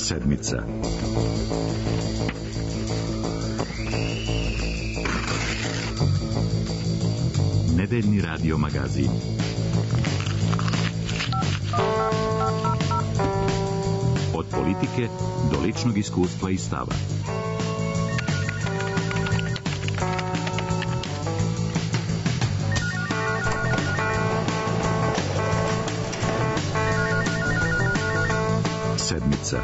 Sedmica. Nedeljni radio magazin. Od politike do ličnog iskustva i stava. Sedmica.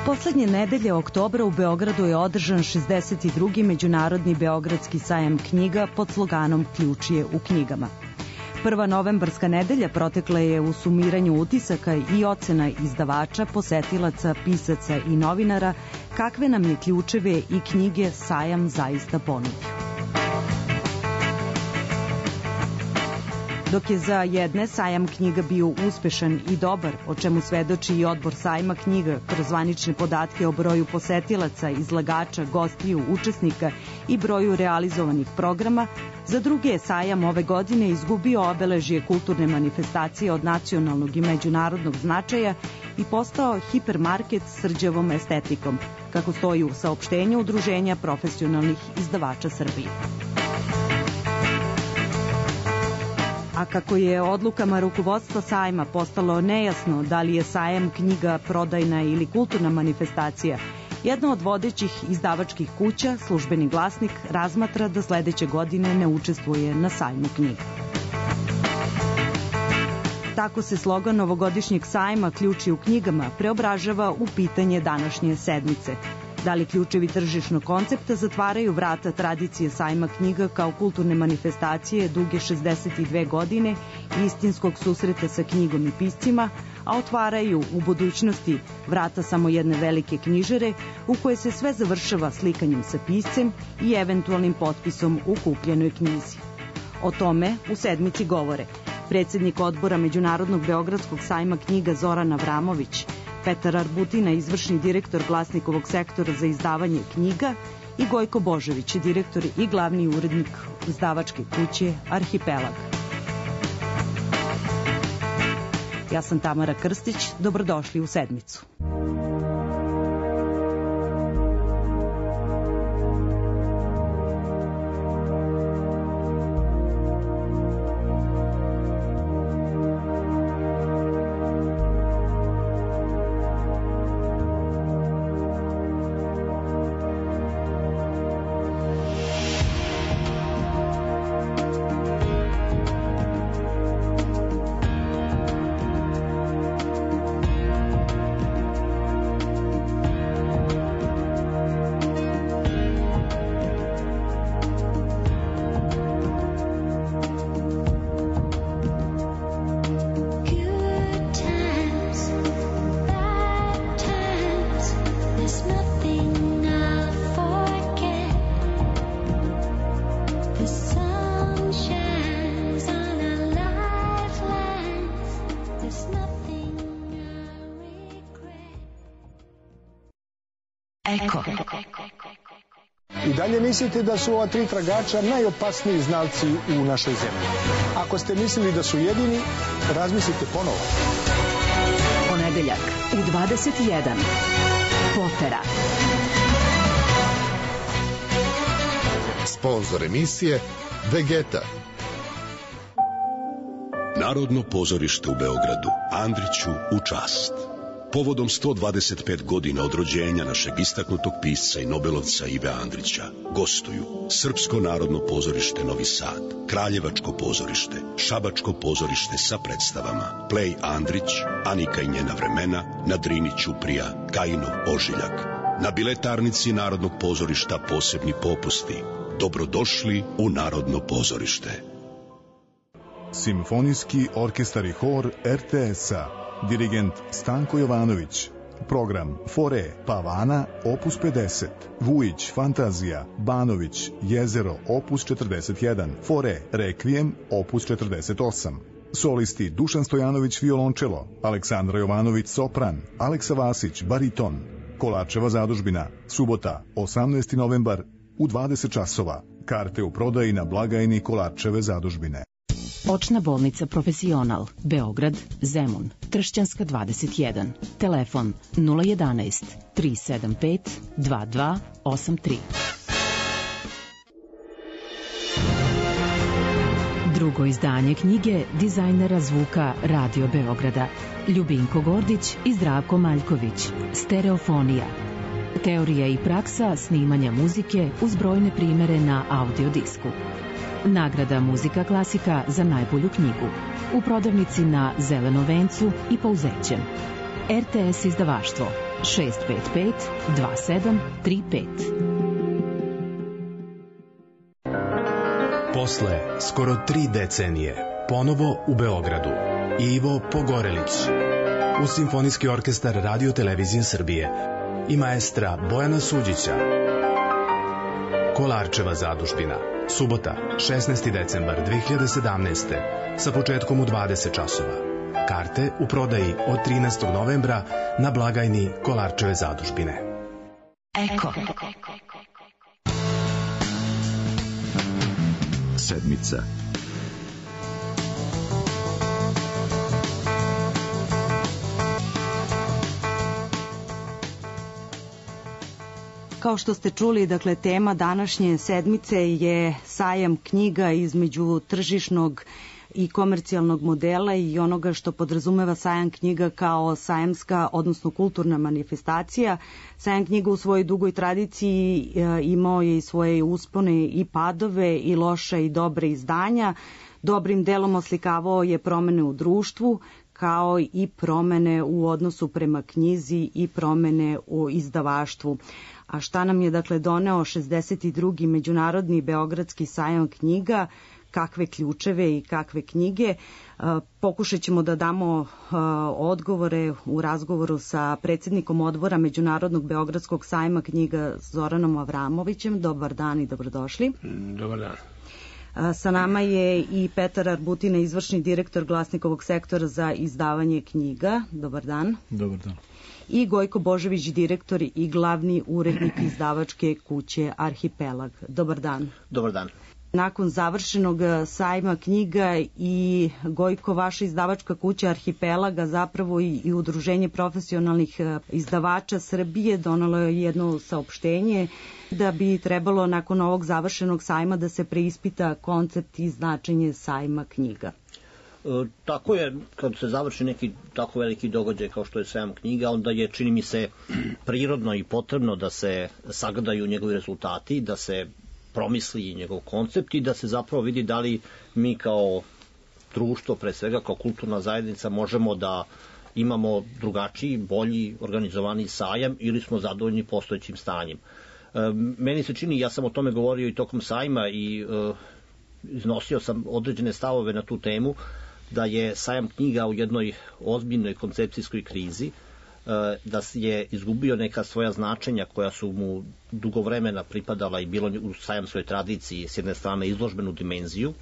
Poslednje nedelje oktobra u Beogradu je održan 62. Međunarodni Beogradski sajam knjiga pod sloganom Ključije u knjigama. Prva novembarska nedelja protekla je u sumiranju utisaka i ocena izdavača, posetilaca, pisaca i novinara kakve nam je ključeve i knjige sajam zaista ponudio. Dok je za jedne sajam knjiga bio uspešan i dobar, o čemu svedoči i odbor sajma knjiga kroz zvanične podatke o broju posetilaca, izlagača, gostiju, učesnika i broju realizovanih programa, za druge je sajam ove godine izgubio obeležje kulturne manifestacije od nacionalnog i međunarodnog značaja i postao hipermarket s rđavom estetikom, kako stoji u saopštenju Udruženja profesionalnih izdavača Srbije. A kako je odlukama rukovodstva sajma postalo nejasno da li je sajam knjiga prodajna ili kulturna manifestacija, jedna od vodećih izdavačkih kuća, Službeni glasnik, razmatra da sledeće godine ne učestvuje na sajmu knjiga. Tako se slogan ovogodišnjeg sajma Ključi u knjigama preobražava u pitanje današnje sedmice. Da li ključevi tržišnog koncepta zatvaraju vrata tradicije sajma knjiga kao kulturne manifestacije duge 62 godine i istinskog susreta sa knjigom i piscima, a otvaraju u budućnosti vrata samo jedne velike knjižare u koje se sve završava slikanjem sa piscem i eventualnim potpisom u kupljenoj knjizi. O tome u sedmici govore predsednik odbora Međunarodnog Beogradskog sajma knjiga Zoran Avramović, Petar Arbutina, izvršni direktor Glasnikovog sektora za izdavanje knjiga, i Gojko Božović, direktor i glavni urednik izdavačke kuće Arhipelag. Ja sam Tamara Krstić, dobrodošli u sedmicu. I dalje mislite da su ova tri tragača najopasniji znalci u našoj zemlji. Ako ste mislili da su jedini, razmislite ponovo. Ponedeljak u 21. Potera. Sponzor emisije Vegeta. Narodno pozorište u Beogradu, Andriću u čast. Povodom 125 godina od rođenja našeg istaknutog pisca i nobelovca Ive Andrića gostuju Srpsko narodno pozorište Novi Sad, Kraljevačko pozorište, Šabačko pozorište sa predstavama Plej Andrić, Anika i njena vremena, na Drini Ćuprija, Kajinov ožiljak. Na biletarnici Narodnog pozorišta posebni popusti. Dobrodošli u Narodno pozorište. Simfonijski orkestar i hor RTS-a. Dirigent Stanko Jovanović. Program Fore Pavana opus 50, Vujić Fantazija, Banović Jezero opus 41, Fore Rekvijem opus 48. Solisti Dušan Stojanović violončelo, Aleksandra Jovanović sopran, Aleksa Vasić bariton. Kolarčeva zadužbina, subota, 18. novembar u 20 časova. Karte u prodaji na blagajni Kolarčeve zadužbine. Očna bolnica Profesional, Beograd, Zemun, Tršćanska 21, telefon 011 375 2283. Drugo izdanje knjige dizajnera zvuka Radio Beograda Ljubinko Gordić i Zdravko Maljković, Stereofonija. Teorija i praksa snimanja muzike uz brojne primere na audiodisku. Nagrada Muzika klasika za najbolju knjigu. U prodavnici na Zelenom vencu i Pouzećem. RTS izdavaštvo 655 2735. Posle skoro 3 decenije, ponovo u Beogradu, Ivo Pogorelić, uz Simfonijski orkestar Radio Televizije Srbije i maestra Bojana Suđića. Kolarčeva zadužbina, subota, 16. decembar 2017. sa početkom u 20 časova. Karte u prodaji od 13. novembra na blagajni Kolarčeve zadužbine. Eko. Sedmica. Kao što ste čuli, dakle, tema današnje sedmice je sajam knjiga između tržišnog i komercijalnog modela i onoga što podrazumeva sajam knjiga kao sajamska, odnosno kulturna manifestacija. Sajam knjiga u svojoj dugoj tradiciji imao je i svoje uspone i padove i loša i dobre izdanja. Dobrim delom oslikavao je promene u društvu, kao i promene u odnosu prema knjizi i promene u izdavaštvu. A šta nam je, dakle, doneo 62. Međunarodni Beogradski sajam knjiga, kakve ključeve i kakve knjige? Pokušat ćemo da damo odgovore u razgovoru sa predsjednikom odbora Međunarodnog Beogradskog sajma knjiga Zoranom Avramovićem. Dobar dan i dobrodošli. Dobar dan. Sa nama je i Petar Arbutina, izvršni direktor Glasnikovog sektora za izdavanje knjiga. Dobar dan. Dobar dan. I Gojko Božević, direktor i glavni urednik izdavačke kuće Arhipelag. Dobar dan. Dobar dan. Nakon završenog sajma knjiga i Gojko, vaša izdavačka kuća Arhipelaga, zapravo i Udruženje profesionalnih izdavača Srbije donalo je jedno saopštenje da bi trebalo nakon ovog završenog sajma da se preispita koncept i značenje sajma knjiga. Tako je, kad se završi neki tako veliki događaj kao što je sajam knjiga, onda je, čini mi se, prirodno i potrebno da se sagledaju njegovi rezultati, da se promisli njegov koncept i da se zapravo vidi da li mi kao društvo, pre svega kao kulturna zajednica, možemo da imamo drugačiji, bolji, organizovani sajam ili smo zadovoljni postojećim stanjem. Meni se čini, ja sam o tome govorio i tokom sajma i iznosio sam određene stavove na tu temu, da je sajam knjiga u jednoj ozbiljnoj koncepcijskoj krizi, da je izgubio neka svoja značenja koja su mu dugo vremena pripadala i bilo u sajamskoj tradiciji, s jedne strane izložbenu dimenziju,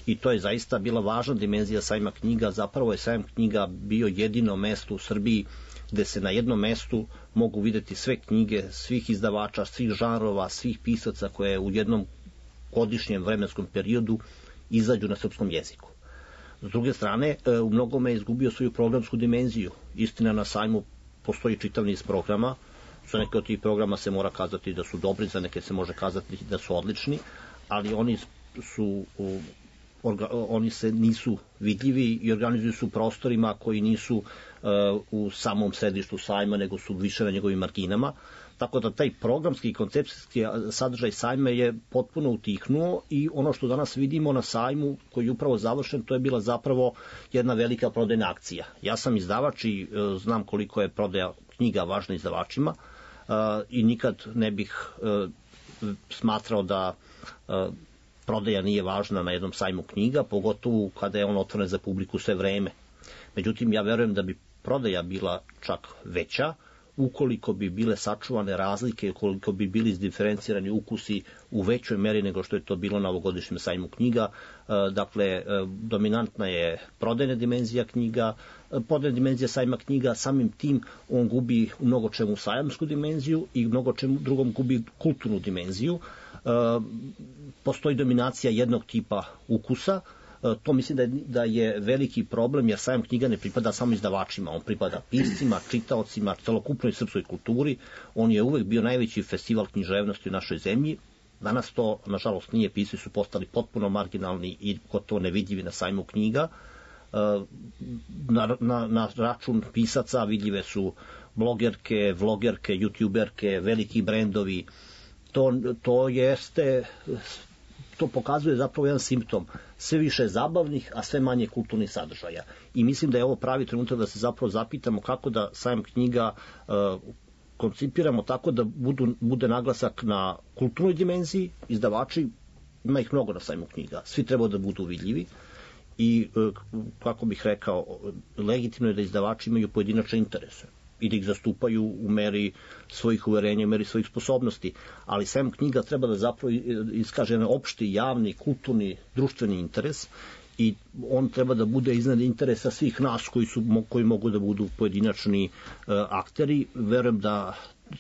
i to je zaista bila važna dimenzija sajma knjiga. Zapravo je sajam knjiga bio jedino mesto u Srbiji gde se na jednom mestu mogu videti sve knjige, svih izdavača, svih žanrova, svih pisaca koje u jednom godišnjem vremenskom periodu izađu na srpskom jeziku. S druge strane, u mnogome je izgubio svoju programsku dimenziju. Istina, na sajmu postoji čitav niz programa. Za neke od tih programa se mora kazati da su dobri, za neke se može kazati da su odlični, ali oni se nisu vidljivi i organizuju su prostorima koji nisu u samom središtu sajma, nego su više na njegovim marginama. Tako da taj programski i koncepcijski sadržaj sajma je potpuno utihnuo i ono što danas vidimo na sajmu koji je upravo završen, to je bila zapravo jedna velika prodajna akcija. Ja sam izdavač i znam koliko je prodaja knjiga važna izdavačima i nikad ne bih smatrao da prodaja nije važna na jednom sajmu knjiga, pogotovo kada je on otvoren za publiku sve vreme. Međutim, ja verujem da bi prodaja bila čak veća ukoliko bi bile sačuvane razlike, ukoliko bi bili izdiferencirani ukusi u većoj meri nego što je to bilo na ovogodišnjem sajmu knjiga. Dakle, dominantna je prodajna dimenzija knjiga, prodajna dimenzija sajma knjiga, samim tim on gubi u mnogo čemu sajamsku dimenziju i mnogo čemu drugom gubi kulturnu dimenziju. Postoji dominacija jednog tipa ukusa. To mislim da je veliki problem, jer sajam knjiga ne pripada samo izdavačima, on pripada piscima, čitaocima, celokupnoj srpskoj kulturi. On je uvek bio najveći festival književnosti u našoj zemlji. Danas to, nažalost, nije, pisci su postali potpuno marginalni i gotovo nevidljivi na sajmu knjiga. Na račun pisaca vidljive su blogerke, vlogerke, youtuberke, veliki brendovi. To pokazuje zapravo jedan simptom, sve više zabavnih, a sve manje kulturnih sadržaja. I mislim da je ovo pravi trenutak da se zapravo zapitamo kako da sajam knjiga koncipiramo tako da bude naglasak na kulturnoj dimenziji. Izdavači, ima ih mnogo na sajmu knjiga, svi treba da budu vidljivi i, kako bih rekao, legitimno je da izdavači imaju pojedinačne interese i da ih zastupaju u meri svojih uverenja, u meri svojih sposobnosti. Ali sajam knjiga treba da zapravo iskaže jedan opšti, javni, kulturni, društveni interes i on treba da bude iznad interesa svih nas koji mogu da budu pojedinačni akteri. Verujem da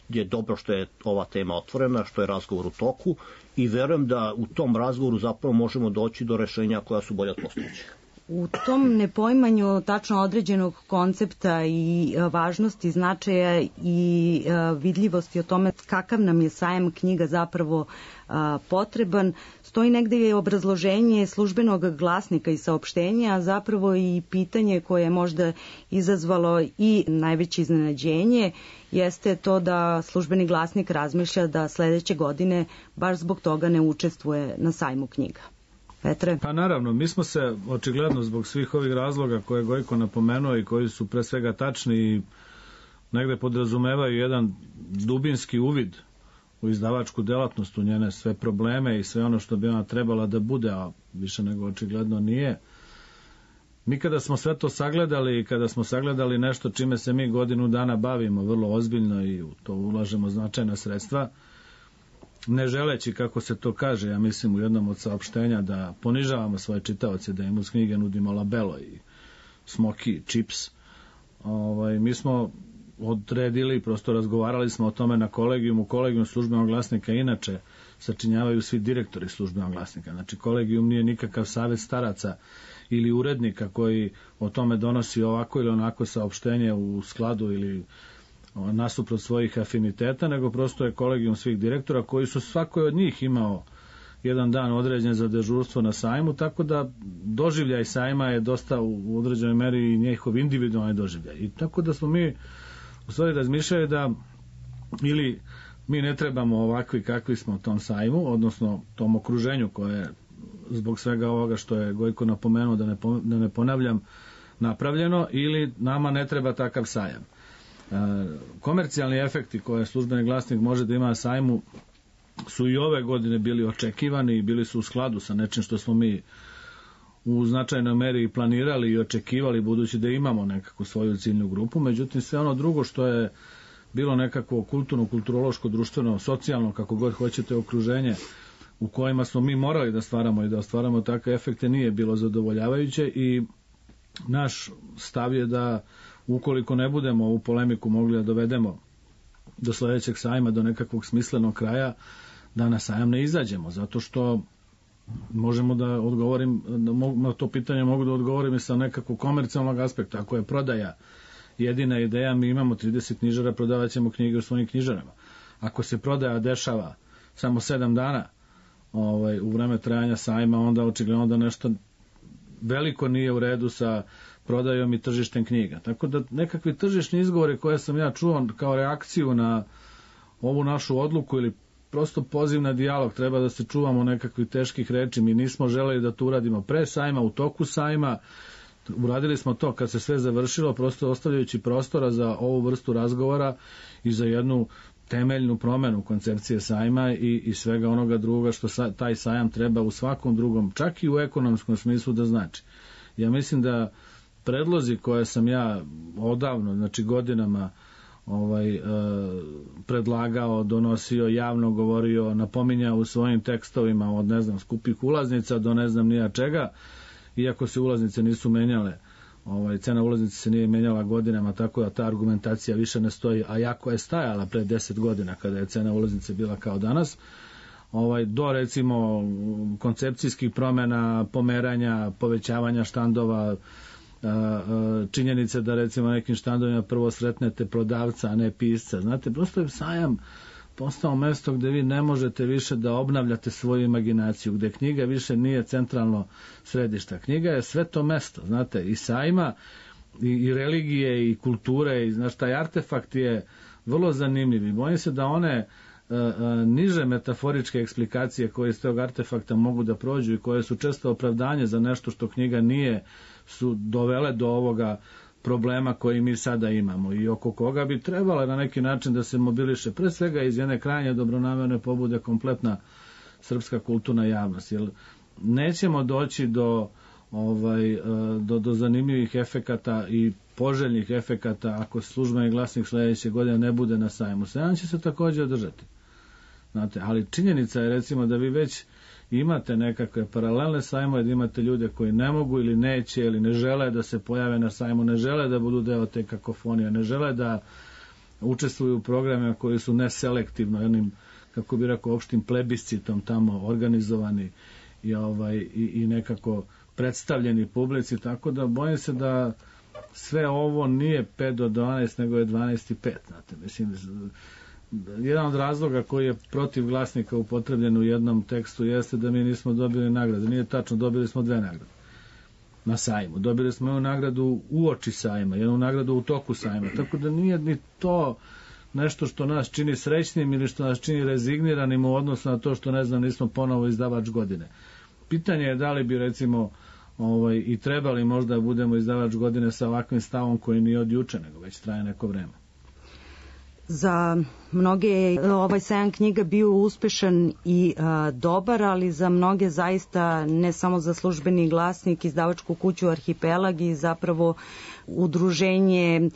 je dobro što je ova tema otvorena, što je razgovor u toku i verujem da u tom razgovoru zapravo možemo doći do rešenja koja su bolje od postojećih. U tom nepoimanju tačno određenog koncepta i važnosti, značaja i vidljivosti o tome kakav nam je sajam knjiga zapravo potreban, stoji negde je obrazloženje službenog glasnika i saopštenja, a zapravo i pitanje koje je možda izazvalo i najveće iznenađenje jeste to da službeni glasnik razmišlja da sledeće godine baš zbog toga ne učestvuje na sajmu knjiga. Petre? Pa naravno, mi smo se očigledno zbog svih ovih razloga koje je Gojko napomenuo i koji su pre svega tačni i negde podrazumevaju jedan dubinski uvid u izdavačku delatnost, u njene sve probleme i sve ono što bi ona trebala da bude, a više nego očigledno nije. Mi kada smo sve to sagledali i kada smo sagledali nešto čime se mi godinu dana bavimo vrlo ozbiljno i u to ulažemo značajna sredstva, ne želeći, kako se to kaže, ja mislim u jednom od saopštenja, da ponižavamo svoje čitaoce, da im uz knjige nudimo labelo i smoki, čips. Mi smo odredili, prosto razgovarali smo o tome na kolegijumu. Kolegijum službenog glasnika inače sačinjavaju svi direktori službenog glasnika. Znači, kolegijum nije nikakav savet staraca ili urednika koji o tome donosi ovako ili onako saopštenje u skladu ili nasuprot svojih afiniteta, nego prosto je kolegijum svih direktora koji su svakoj od njih imao jedan dan određen za dežurstvo na sajmu, tako da doživljaj sajma je dosta u određenoj meri i njihov individualni doživljaj. I tako da smo mi u stvari razmišljali da ili mi ne trebamo ovakvi kakvi smo tom sajmu, odnosno tom okruženju koje zbog svega ovoga što je Gojko napomenuo, da ne ponavljam, napravljeno, ili nama ne treba takav sajam. Komercijalni efekti koje službeni glasnik može da ima na sajmu su i ove godine bili očekivani i bili su u skladu sa nečim što smo mi u značajnoj meri planirali i očekivali, budući da imamo nekakvu svoju ciljnu grupu. Međutim, sve ono drugo što je bilo nekakvo kulturno, kulturološko, društveno, socijalno, kako god hoćete, okruženje u kojima smo mi morali da stvaramo i da ostvaramo takve efekte, nije bilo zadovoljavajuće i naš stav je da ukoliko ne budemo ovu polemiku mogli da dovedemo do sledećeg sajma, do nekakvog smislenog kraja, da na sajam ne izađemo, zato što možemo da odgovorim, na to pitanje mogu da odgovorim i sa nekakvog komercijalnog aspekta. Ako je prodaja jedina ideja, mi imamo 30 knjižara, prodavat ćemo knjige u svojim knjižarama. Ako se prodaja dešava samo 7 dana u vreme trajanja sajma, onda očigledno da nešto veliko nije u redu sa prodajom i tržištem knjiga. Tako da nekakvi tržišni izgovori koje sam ja čuo kao reakciju na ovu našu odluku ili prosto poziv na dijalog, treba da se čuvamo nekakvih teških reči. Mi nismo želeli da to uradimo pre sajma, u toku sajma. Uradili smo to kad se sve završilo, prosto ostavljajući prostora za ovu vrstu razgovora i za jednu temeljnu promenu koncepcije sajma i svega onoga druga što taj sajam treba u svakom drugom, čak i u ekonomskom smislu da znači. Ja mislim da predlozi koje sam ja odavno, znači godinama predlagao, donosio, javno govorio, napominjao u svojim tekstovima od, ne znam, skupih ulaznica do ne znam nija čega, iako se ulaznice nisu menjale. Cena ulaznice se nije menjala godinama, tako da ta argumentacija više ne stoji, a jako je stajala pre 10 godina kada je cena ulaznice bila kao danas, do recimo koncepcijskih promjena, pomeranja, povećavanja štandova, činjenice da recimo nekim štandovima prvo sretnete prodavca, a ne pisca. Znate, prosto je sajam postao mesto gde vi ne možete više da obnavljate svoju imaginaciju, gde knjiga više nije centralno središte. Knjiga je sve to mesto, znate, i sajma, i religije, i kulture, i znaš, taj artefakt je vrlo zanimljiv i bojim se da one niže metaforičke eksplikacije koje iz tog artefakta mogu da prođu i koje su često opravdanje za nešto što knjiga nije, su dovele do ovoga problema koji mi sada imamo i oko koga bi trebala na neki način da se mobiliše pre svega iz jedne krajnje dobronamerne pobude kompletna srpska kulturna javnost. Jer nećemo doći do zanimljivih efekata i poželjnih efekata ako službeni glasnik sledeće godine ne bude na sajmu. Sajam će se također održati. Znate, ali činjenica je recimo da vi već imate nekakve paralelne sajmove, da imate ljude koji ne mogu ili neće ili ne žele da se pojave na sajmu, ne žele da budu deo te kakofonije, ne žele da učestvuju u programima koji su neselektivno, jednim, kako bi rekao, opštim plebiscitom tamo organizovani i nekako predstavljeni publici, tako da bojim se da sve ovo nije 5 do 12, nego je 12 i 5, znate, mislim, jedan od razloga koji je protiv glasnika upotrebljen u jednom tekstu jeste da mi nismo dobili nagrade. Nije tačno, dobili smo 2 nagrade na sajmu. Dobili smo jednu nagradu uoči sajma, jednu nagradu u toku sajma. Tako da nije ni to nešto što nas čini srećnim ili što nas čini rezigniranim u odnosu na to što, ne znam, nismo ponovo izdavač godine. Pitanje je da li bi recimo i trebali možda budemo izdavač godine sa ovakvim stavom koji nije od juče, nego već traje neko vreme. Za mnoge je ovaj sajam knjiga bio uspešan i dobar, ali za mnoge zaista, ne samo za Službeni glasnik, izdavačku kuću Arhipelag i zapravo Udruženje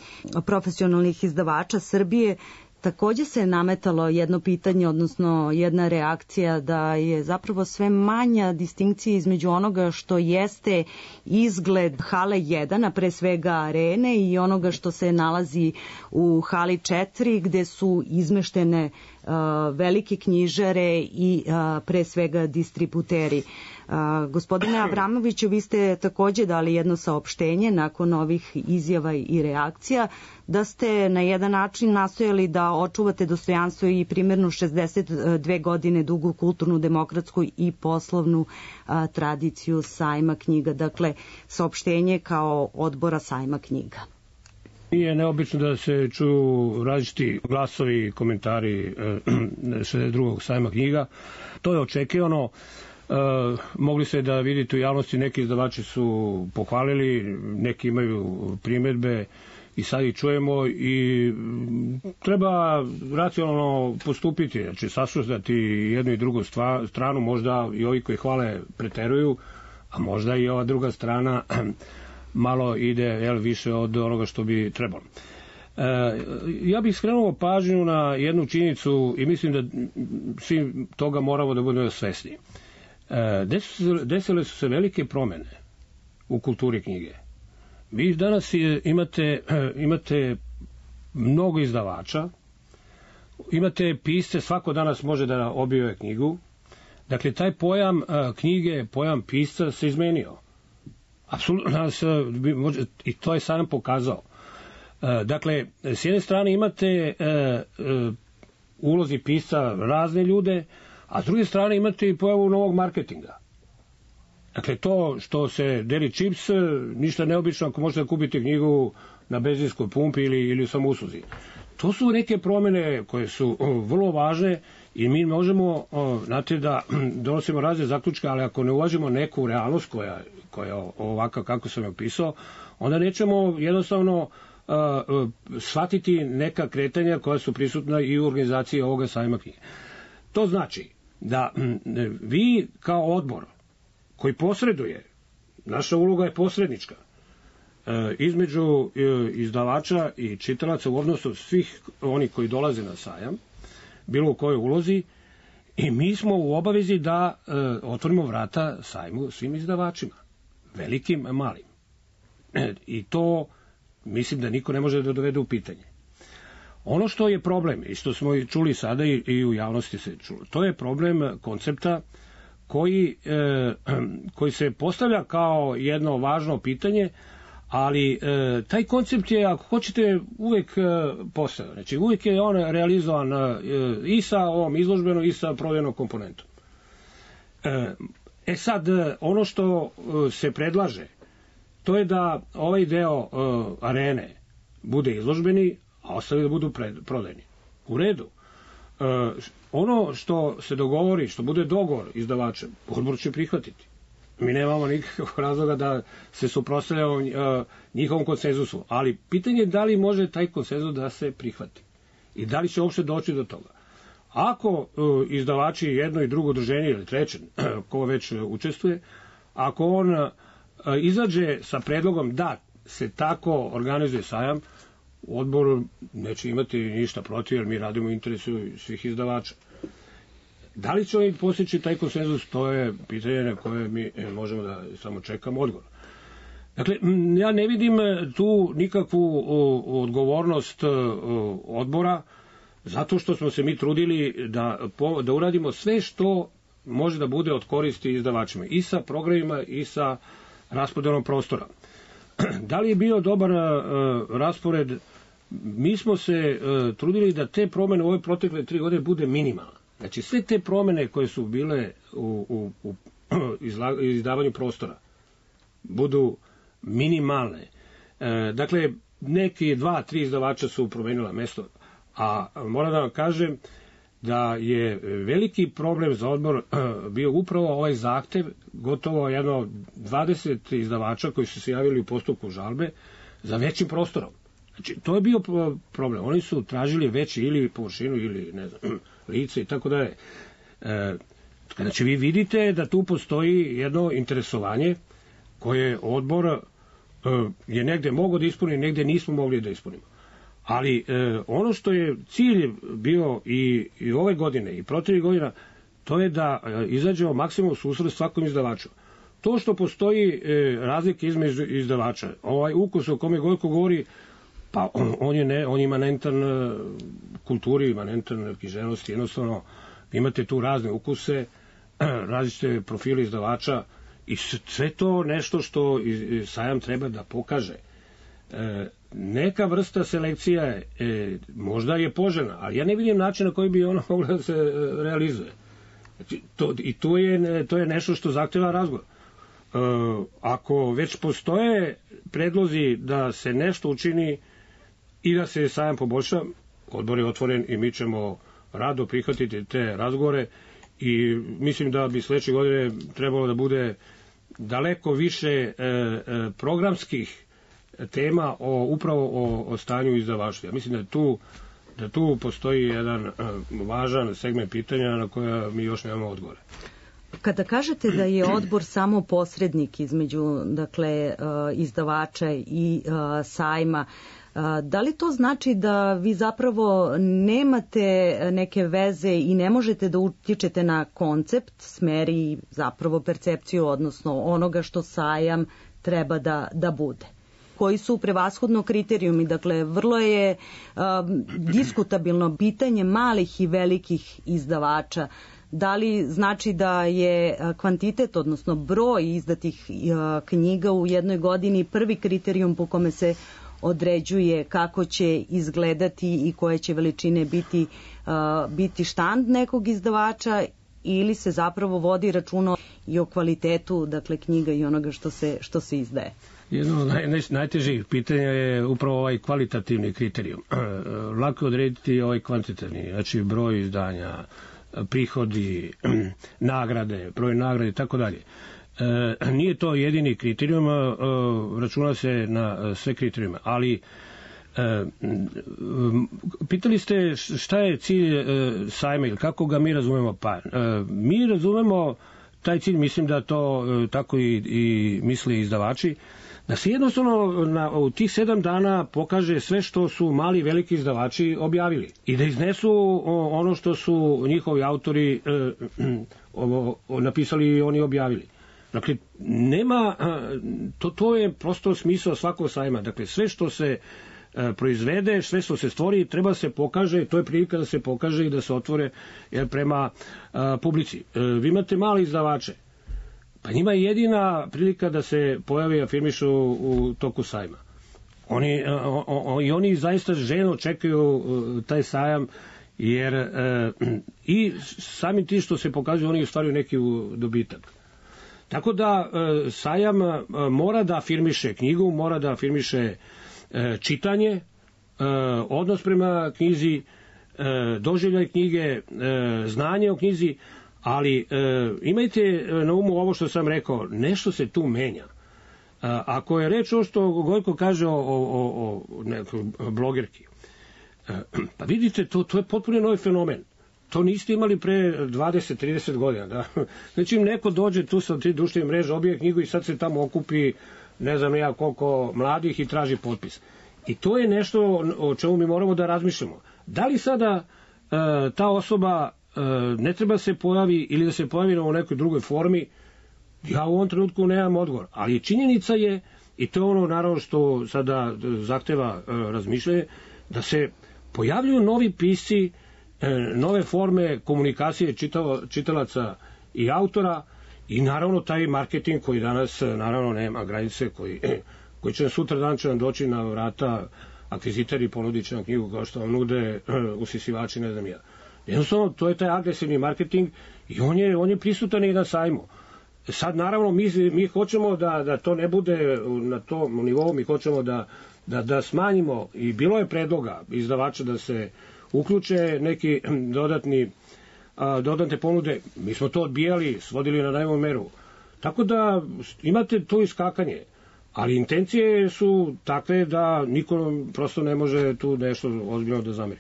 profesionalnih izdavača Srbije, takođe se nametalo jedno pitanje, odnosno jedna reakcija da je zapravo sve manja distinkcija između onoga što jeste izgled hale 1, a pre svega arene, i onoga što se nalazi u hali 4, gde su izmeštene velike knjižare i pre svega distributeri. Gospodine Avramoviću, vi ste takođe dali jedno saopštenje nakon ovih izjava i reakcija, da ste na jedan način nastojali da očuvate dostojanstvo i primjernu 62 godine dugu kulturnu, demokratsku i poslovnu tradiciju sajma knjiga. Dakle, saopštenje kao odbora sajma knjiga. Nije neobično da se čuju različiti glasovi i komentari 62. sajma knjiga. To je očekivano. Mogli se da vidite u javnosti, neki izdavači su pohvalili, neki imaju primedbe i sad ih čujemo i treba racionalno postupiti, znači saslušati jednu i drugu stranu, možda i ovi koji hvale preteruju, a možda i ova druga strana malo ide više od onoga što bi trebalo. Ja bih skrenuo pažnju na jednu činjenicu i mislim da svi toga moramo da budemo svesni. Desile su se velike promene u kulturi knjige. Vi danas imate mnogo izdavača, imate pisce, svako danas može da objave knjigu. Dakle, taj pojam knjige, pojam pisca se izmenio. Apsolutno, i to je sam pokazao. Dakle, s jedne strane imate ulozi pisca razne ljude, a s druge strane imate i pojavu novog marketinga. Dakle, to što se deli čips, ništa neobično ako možete da kupite knjigu na benzinskoj pumpi ili u samousluzi. To su neke promene koje su vrlo važne i mi možemo, znate, da donosimo razne zaključke, ali ako ne uvažimo neku realnost koja je ovaka kako sam je opisao, onda nećemo jednostavno shvatiti neka kretanja koja su prisutna i u organizaciji ovoga sajma knjige. To znači da vi kao odbor koji posreduje, naša uloga je posrednička, između izdavača i čitalaca u odnosu svih oni koji dolaze na sajam, bilo u kojoj ulozi, i mi smo u obavezi da otvorimo vrata sajmu svim izdavačima, velikim, malim. I to mislim da niko ne može da dovede u pitanje. Ono što je problem, i što smo čuli sada i u javnosti se čulo, to je problem koncepta koji se postavlja kao jedno važno pitanje, ali taj koncept je, ako hoćete, uvek postojao. Znači, uvek je on realizovan i sa ovom izložbenom i sa prodajnom komponentom. Sad, ono što se predlaže, to je da ovaj deo arene bude izložbeni, a ostali da budu prodajni. U redu. Ono što se dogovori, što bude dogovor izdavačem, odbor će prihvatiti. Mi nemamo nikakvog razloga da se suprotstavljamo njihovom konsenzusu, ali pitanje je da li može taj konsenzus da se prihvati i da li će uopšte doći do toga. Ako izdavači jedno i drugo udruženje ili treće, ko već učestvuje, ako on izađe sa predlogom da se tako organizuje sajam, odbor neće imati ništa protiv, jer mi radimo u interesu svih izdavača. Da li će oni postići taj konsenzus, to je pitanje na koje mi možemo da samo čekamo odgovor. Dakle, ja ne vidim tu nikakvu odgovornost odbora, zato što smo se mi trudili da uradimo sve što može da bude od koristi izdavačima, i sa programima i sa raspodelom prostora. Da li je bio dobar raspored? Mi smo se trudili da te promene u ove protekle 3 godine bude minimalne. Znači, sve te promene koje su bile u izdavanju prostora budu minimalne. Dakle, neki 2-3 izdavača su promenila mesto, a moram da vam kažem da je veliki problem za odbor bio upravo ovaj zahtev, gotovo jedno 20 izdavača koji su se javili u postupku žalbe za većim prostorom. Znači, to je bio problem. Oni su tražili veći ili površinu ili, ne znam, lice i tako dalje. Znači, vi vidite da tu postoji jedno interesovanje koje odbor je negde mogao da ispuni, negde nismo mogli da ispunimo. Ali ono što je cilj bio i ove godine i protiv godina, to je da izađemo maksimum susret svakom izdavaču. To što postoji razlike između izdavača, ovaj ukus o kome Gojko govori, pa on je imanentan kulturi, imanentan književnosti, jednostavno imate tu razne ukuse, različite profile izdavača i sve to nešto što sajam treba da pokaže. Neka vrsta selekcija možda je poželjna, ali ja ne vidim način na koji bi ona mogla da se realizuje. Znači, to je nešto što zahteva razgovor. Ako već postoje predlozi da se nešto učini i da se sajam poboljša, odbor je otvoren i mi ćemo rado prihvatiti te razgovore i mislim da bi sledeće godine trebalo da bude daleko više programskih tema upravo o stanju izdavaštva. Mislim da tu postoji jedan važan segment pitanja na koja mi još nemamo odgovore. Kada kažete da je odbor samo posrednik između, dakle, izdavača i sajma, da li to znači da vi zapravo nemate neke veze i ne možete da utičete na koncept, smer i zapravo percepciju, odnosno onoga što sajam treba da bude? Koji su prevashodno kriterijumi? Dakle, vrlo je diskutabilno pitanje malih i velikih izdavača. Da li znači da je kvantitet, odnosno broj izdatih knjiga u jednoj godini prvi kriterijum po kome se određuje kako će izgledati i koje će veličine biti štand nekog izdavača, ili se zapravo vodi računa i o kvalitetu, dakle, knjiga i onoga što se izdaje? Jedno od najtežih pitanja je upravo ovaj kvalitativni kriterijum. Lako je odrediti ovaj kvantitativni, znači broj izdanja, prihodi, nagrade, broj nagrade i tako dalje. Nije to jedini kriterijum, računa se na sve kriterijume, ali pitali ste šta je cilj sajma ili kako ga mi razumemo? Pa, mi razumemo taj cilj, mislim da to tako i misle izdavači, da se jednostavno u tih 7 dana pokaže sve što su mali i veliki izdavači objavili i da iznesu ono što su njihovi autori napisali i oni objavili. Dakle, nema, to je prosto smisao svakog sajma. Dakle, sve što se proizvede, sve što se stvori, treba se pokaže, to je prilika da se pokaže i da se otvore prema publici. Vi imate mali izdavače, pa njima je jedina prilika da se pojave i afirmišu u toku sajma. Oni zaista željno čekaju taj sajam, jer i samim tim što se pokazuju, oni ostvaruju neki dobitak. Tako da sajam mora da afirmiše knjigu, mora da afirmiše čitanje, odnos prema knjizi, doživljaj knjige, znanje o knjizi, ali imajte na umu ovo što sam rekao, nešto se tu menja. Ako je reč o što Gojko kaže o nekoj blogerki, pa vidite, to je potpuno novi fenomen. To niste imali pre 20-30 godina. Da? Znači, neko dođe tu sa 3 društvene mreže, obije knjigu i sad se tamo okupi ne znam ja koliko mladih i traži potpis. I to je nešto o čemu mi moramo da razmišljamo. Da li sada ta osoba ne treba se pojavi ili da se pojavi u nekoj drugoj formi, ja u ovom trenutku nemam odgovor. Ali činjenica je, i to je ono naravno što sada zahteva razmišljanje, da se pojavljuju novi pisci, nove forme komunikacije čitalaca i autora i naravno taj marketing koji danas naravno nema granice, koji će sutra dan će nam doći na vrata akvizitori ponudit će nam knjigu kao što vam nude usisivači, ne znam ja. Jednostavno, to je taj agresivni marketing i on je prisutan i na sajmu. Sad, naravno, mi hoćemo da to ne bude na tom nivou, mi hoćemo da smanjimo, i bilo je predloga izdavača da se uključe neki dodatne ponude. Mi smo to odbijali, svodili na najmanju meru. Tako da imate to iskakanje, ali intencije su takve da niko prosto ne može tu nešto ozbiljno da zameri.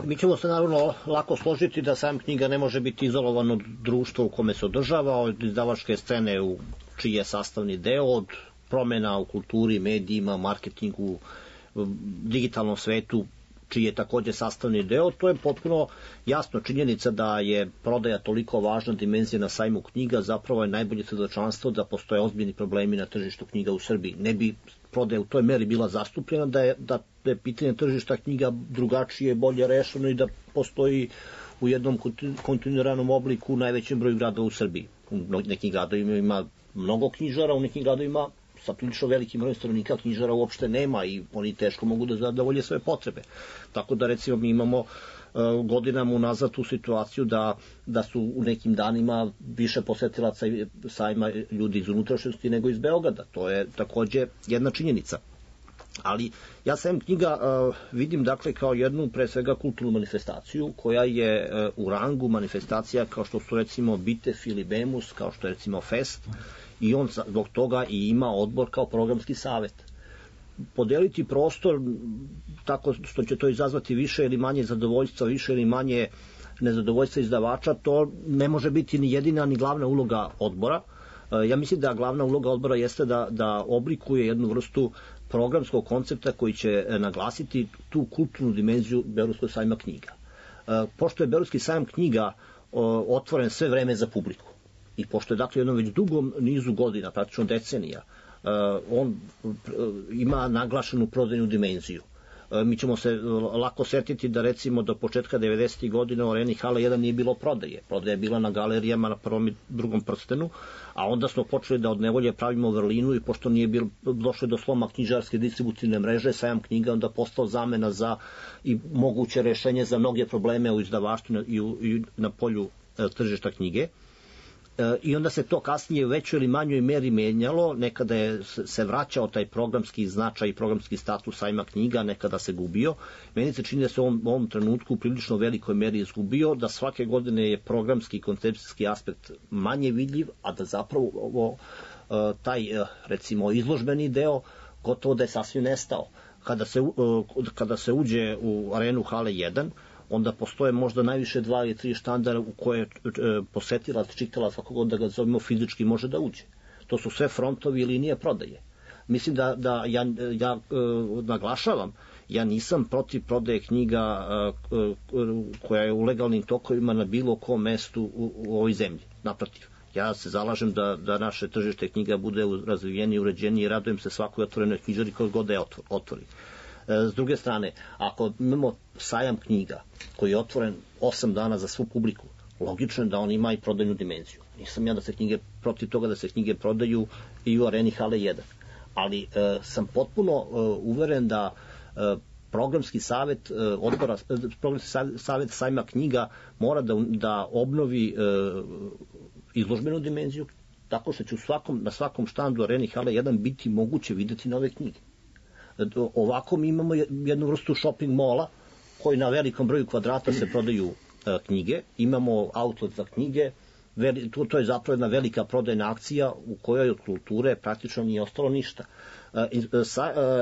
Mi ćemo se naravno lako složiti da sam knjiga ne može biti izolovan od društva u kome se održava, od izdavačke scene u čiji je sastavni deo, od promena u kulturi, medijima, marketingu, digitalnom svetu, čiji je takođe sastavni deo. To je potpuno jasno. Činjenica da je prodaja toliko važna dimenzija na sajmu knjiga zapravo je najbolje svedočanstvo da postoje ozbiljni problemi na tržištu knjiga u Srbiji. Ne bi prodaja u toj meri bila zastupljena da je pitanje tržišta knjiga drugačije, bolje rešeno i da postoji u jednom kontinuiranom obliku u najvećem broju gradova u Srbiji. U nekim gradovima ima mnogo knjižara, u nekim gradovima sa prilično velikim brojem stanovnika knjižara uopšte nema i oni teško mogu da zadovolje svoje potrebe. Tako da recimo mi imamo godinama unazad tu situaciju da su u nekim danima više posetilaca sajma ljudi iz unutrašnjosti nego iz Beograda. To je takođe jedna činjenica. Ali ja sajam knjiga vidim dakle kao jednu pre svega kulturnu manifestaciju koja je u rangu manifestacija kao što su recimo Bitef ili Bemus, kao što je recimo Fest, i on zbog toga i ima odbor kao programski savet. Podeliti prostor tako što će to izazvati više ili manje zadovoljstva, više ili manje nezadovoljstva izdavača, to ne može biti ni jedina ni glavna uloga odbora. Ja mislim da glavna uloga odbora jeste da oblikuje jednu vrstu programskog koncepta koji će naglasiti tu kulturnu dimenziju Beogradskog sajma knjiga. Pošto je Beogradski sajam knjiga otvoren sve vreme za publiku i pošto je dakle jednom već dugom nizu godina, praktično decenija, on ima naglašenu prodajnu dimenziju. Mi ćemo se lako setiti da recimo do početka 90. godina u areni Hala 1 nije bilo prodaje. Prodaja je bila na galerijama na prvom i drugom prstenu, a onda smo počeli da od nevolje pravimo vrlinu i pošto nije došlo do sloma knjižarske distributivne mreže, sajam knjiga onda postao zamena za i moguće rešenje za mnoge probleme u izdavaštvu i na polju tržišta knjige. I onda se to kasnije u većoj ili manjoj meri menjalo, nekada je se vraćao taj programski značaj i programski status sajma knjiga, nekada se gubio. Meni se čini da se u ovom trenutku u prilično velikoj meri izgubio, da svake godine je programski i koncepcijski aspekt manje vidljiv, a da zapravo taj recimo izložbeni deo gotovo da je sasvim nestao. Kada se uđe u arenu Hale 1, onda postoje možda najviše 2 ili 3 štandara u koje posetilac, čitalac, kako god da ga zovemo, fizički može da uđe. To su sve frontovi i linije prodaje. Mislim da ja naglašavam, ja nisam protiv prodaje knjiga koja je u legalnim tokovima na bilo kom mestu u ovoj zemlji. Naprotiv, ja se zalažem da naše tržište knjiga bude razvijenije, uređenije i radujem se svakoj otvorenoj knjižari koji god da je otvori. S druge strane, ako imamo sajam knjiga koji je otvoren 8 dana za svu publiku, logično je da on ima i prodajnu dimenziju. Nisam ja protiv toga da se knjige prodaju i u areni hale 1. Ali sam potpuno uveren da programski savet sajma knjiga mora da obnovi izložbenu dimenziju, tako što će na svakom štandu areni hale 1 biti moguće videti nove knjige. Ovako mi imamo jednu vrstu shopping mola koji na velikom broju kvadrata se prodaju knjige, imamo outlet za knjige, to je zapravo jedna velika prodajna akcija u kojoj od kulture praktično nije ostalo ništa.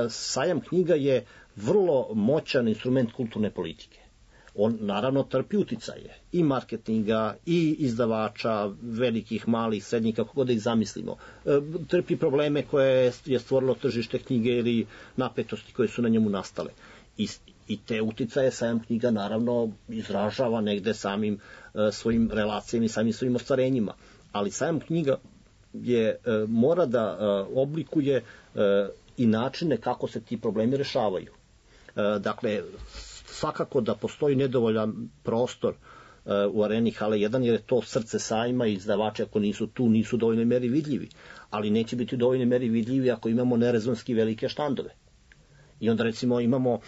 Sajam knjiga je vrlo moćan instrument kulturne politike. On naravno trpi uticaje i marketinga, i izdavača, velikih, malih, srednjih, kako god da ih zamislimo. Trpi probleme koje je stvorilo tržište knjige ili napetosti koje su na njemu nastale. I te uticaje sajam knjiga naravno izražava negde samim svojim relacijama i samim svojim ostvarenjima. Ali sajam knjiga mora da oblikuje i načine kako se ti problemi rešavaju. Dakle, svakako da postoji nedovoljan prostor u areni hale 1, jer je to srce sajma i izdavači ako nisu tu, nisu u dovoljnoj meri vidljivi. Ali neće biti u dovoljnoj meri vidljivi ako imamo nerezonski velike štandove. I onda recimo imamo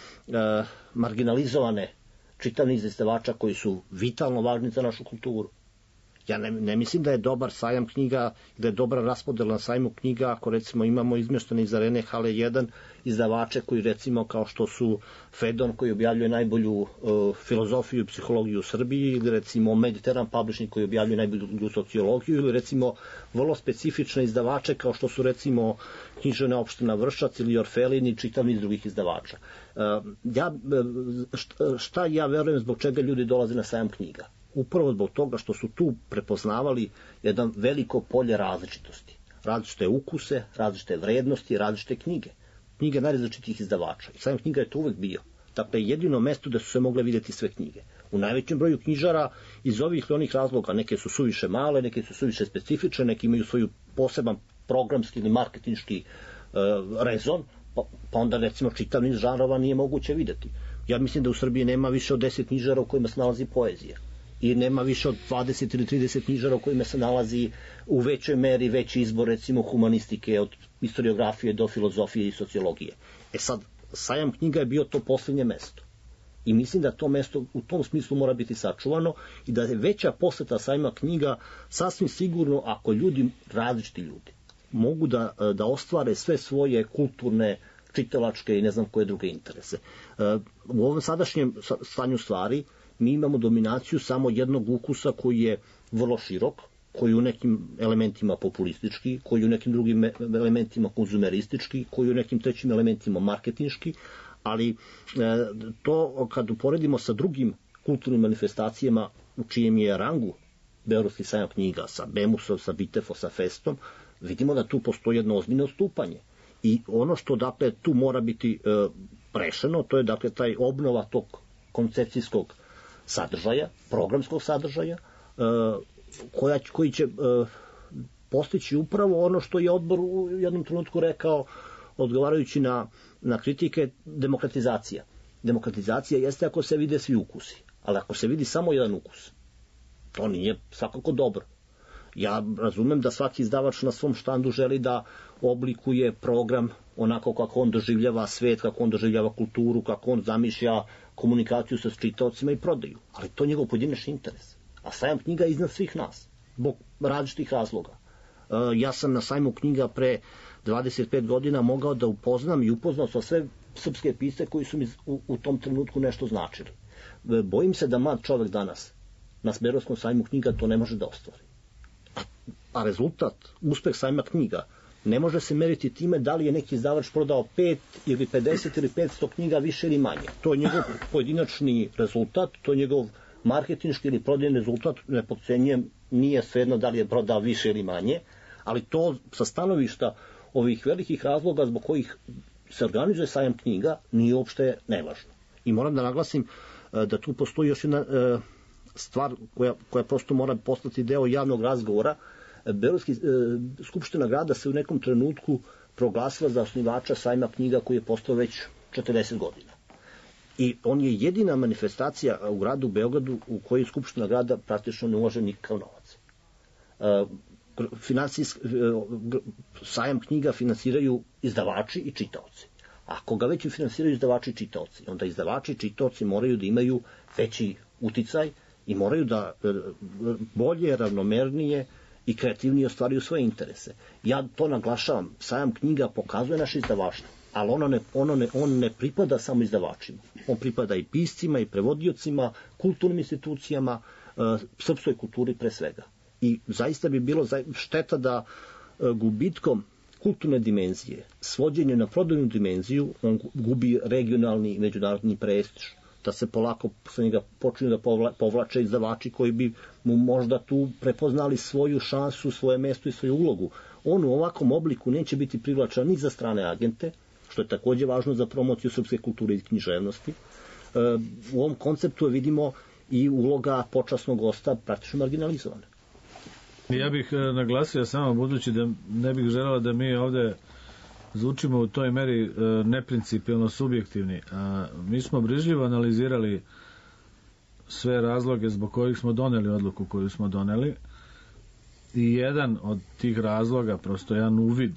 marginalizovane čitav niz izdavača koji su vitalno važni za našu kulturu. Ja ne mislim da je dobar sajam knjiga, da je dobra raspodela na sajmu knjiga ako recimo imamo izmještene iz arene hale 1 izdavače koji recimo kao što su Fedon koji objavljuje najbolju filozofiju i psihologiju u Srbiji, ili recimo Mediteran Publishing koji objavljuje najbolju sociologiju, ili recimo vrlo specifične izdavače kao što su recimo Književna opština Vršac ili Orfelin i čitav niz drugih izdavača. Šta ja verujem zbog čega ljudi dolaze na sajam knjiga? Upravo zbog toga što su tu prepoznavali jedan veliko polje različitosti. Različite ukuse, različite vrednosti, različite knjige. Knjige najrazličitijih izdavača. I sajam knjiga je to uvek bio. Dakle, jedino mesto da su se mogle vidjeti sve knjige. U najvećem broju knjižara iz ovih ili onih razloga, neke su suviše male, neke su suviše specifične, neke imaju svoju poseban programski ili marketinški rezon, pa onda recimo čitav niz žanrova nije moguće vidjeti. Ja mislim da u Srbiji nema više od 10 knjižara u kojima se nalazi poezija. I nema više od 20 ili 30 knjižara u kojima se nalazi u većoj meri veći izbor recimo humanistike, od historiografije do filozofije i sociologije. Sad, sajam knjiga je bio to posljednje mesto. I mislim da to mesto u tom smislu mora biti sačuvano i da je veća poseta sajma knjiga sasvim sigurno ako različiti ljudi, mogu da ostvare sve svoje kulturne, čitalačke i ne znam koje druge interese. U ovom sadašnjem stanju stvari mi imamo dominaciju samo jednog ukusa koji je vrlo širok, koji u nekim elementima populistički, koji u nekim drugim elementima konzumeristički, koji u nekim trećim elementima marketinški, ali to kad uporedimo sa drugim kulturnim manifestacijama u čijem je rangu Beogradski sajam knjiga, sa Bemusom, sa Bitefom, sa Festom, vidimo da tu postoji jedno ozbiljno odstupanje. I ono što dakle tu mora biti rešeno, to je dakle taj obnova tog koncepcijskog sadržaja, programskog sadržaja, koji će postići upravo ono što je odbor u jednom trenutku rekao, odgovarajući na kritike, demokratizacija. Demokratizacija jeste ako se vide svi ukusi, ali ako se vidi samo jedan ukus, to nije svakako dobro. Ja razumem da svaki izdavač na svom štandu želi da oblikuje program onako kako on doživljava svet, kako on doživljava kulturu, kako on zamišlja komunikaciju sa čitaocima i prodaju. Ali to je njegov pojedinačni interes. A sajam knjiga je iznad svih nas, zbog različitih razloga. Ja sam na sajmu knjiga pre 25 godina mogao da upoznam i upoznao sa sve srpske pisce koji su mi u tom trenutku nešto značili. Bojim se da mlad čovek danas na Beogradskom sajmu knjiga to ne može da ostvari. A rezultat, uspeh sajma knjiga, ne može se meriti time da li je neki izdavač prodao 5 ili 50 ili 500 knjiga više ili manje. To je njegov pojedinačni rezultat, to je njegov marketinški ili prodajni rezultat, ne potcenjujem, nije svejedno da li je prodao više ili manje, ali to sa stanovišta ovih velikih razloga zbog kojih se organizuje sajam knjiga nije uopšte nevažno. I moram da naglasim da tu postoji još jedna stvar koja prosto mora postati deo javnog razgovora. Beogradska skupština grada se u nekom trenutku proglasila za osnivača sajma knjiga koji je postao već 40 godina. I on je jedina manifestacija u gradu Beogradu u kojoj skupština grada praktično ne ulaže nikakav novac. Sajam knjiga finansiraju izdavači i čitaoci. Ako ga već finansiraju izdavači i čitaoci, onda izdavači i čitaoci moraju da imaju veći uticaj i moraju da bolje, ravnomernije i kreativnije ostvaruju svoje interese. Ja to naglašavam, sajam knjiga pokazuje naše izdavaštvo, ali on ne pripada samo izdavačima. On pripada i piscima, i prevodiocima, kulturnim institucijama, srpskoj kulturi pre svega. I zaista bi bilo šteta da gubitkom kulturne dimenzije, svođenje na prodajnu dimenziju, on gubi regionalni i međunarodni prestiž, da se polako sa njega počinju da povlače izdavači koji bi mu možda tu prepoznali svoju šansu, svoje mesto i svoju ulogu. On u ovakvom obliku neće biti privlačan ni za strane agente, što je takođe važno za promociju srpske kulture i književnosti. U ovom konceptu vidimo i uloga počasnog gosta praktično marginalizovana. Ja bih naglasio samo, budući da ne bih želala da mi ovde zvučimo u toj meri neprincipijalno subjektivni. Mi smo brižljivo analizirali sve razloge zbog kojih smo doneli odluku koju smo doneli i jedan od tih razloga, prosto jedan uvid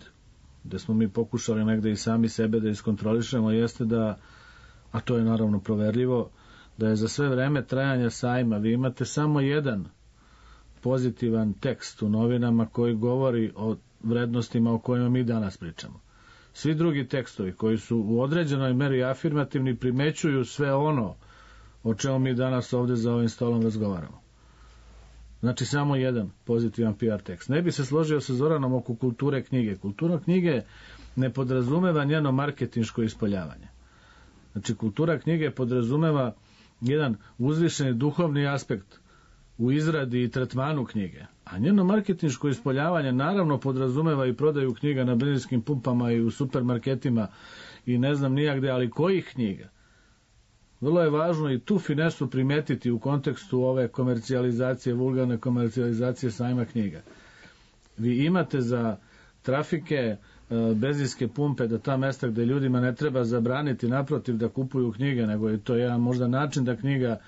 gde smo mi pokušali negde i sami sebe da iskontrolišemo, jeste da, a to je naravno proverljivo, da je za sve vreme trajanja sajma vi imate samo jedan pozitivan tekst u novinama koji govori o vrednostima o kojima mi danas pričamo. Svi drugi tekstovi koji su u određenoj meri afirmativni primećuju sve ono o čemu mi danas ovde za ovim stolom razgovaramo. Znači samo jedan pozitivan PR tekst. Ne bi se složio sa Zoranom oko kulture knjige. Kultura knjige ne podrazumeva njeno marketinško ispoljavanje. Znači kultura knjige podrazumeva jedan uzvišeni duhovni aspekt u izradi i tretmanu knjige. A njeno marketinško ispoljavanje naravno podrazumeva i prodaju knjiga na benzinskim pumpama i u supermarketima i ne znam nijagde, ali kojih knjiga? Vrlo je važno i tu finesu primetiti u kontekstu ove komercijalizacije, vulgarne komercijalizacije sajma knjiga. Vi imate za trafike benzinske pumpe, da ta mesta gde ljudima ne treba zabraniti naprotiv da kupuju knjige, nego je to jedan možda način da knjiga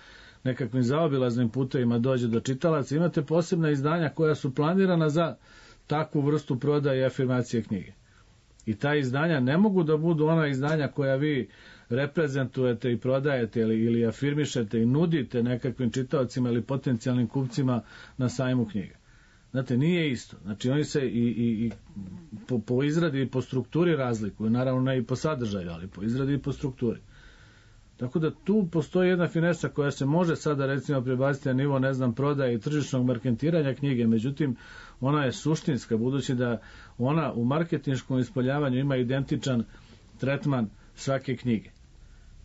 nekakvim zaobilaznim putevima dođe do čitalaca. Imate posebna izdanja koja su planirana za takvu vrstu prodaje i afirmacije knjige. I ta izdanja ne mogu da budu ona izdanja koja vi reprezentujete i prodajete ili afirmišete i nudite nekakvim čitaocima ili potencijalnim kupcima na sajmu knjiga. Znate, nije isto. Znači, oni se i po izradi i po strukturi razlikuju, naravno ne i po sadržaju, ali po izradi i po strukturi. Tako da tu postoji jedna finesa koja se može sada recimo prebaciti na nivo, ne znam, prodaje i tržišnog marketiranja knjige, međutim ona je suštinska, budući da ona u marketinškom ispoljavanju ima identičan tretman svake knjige.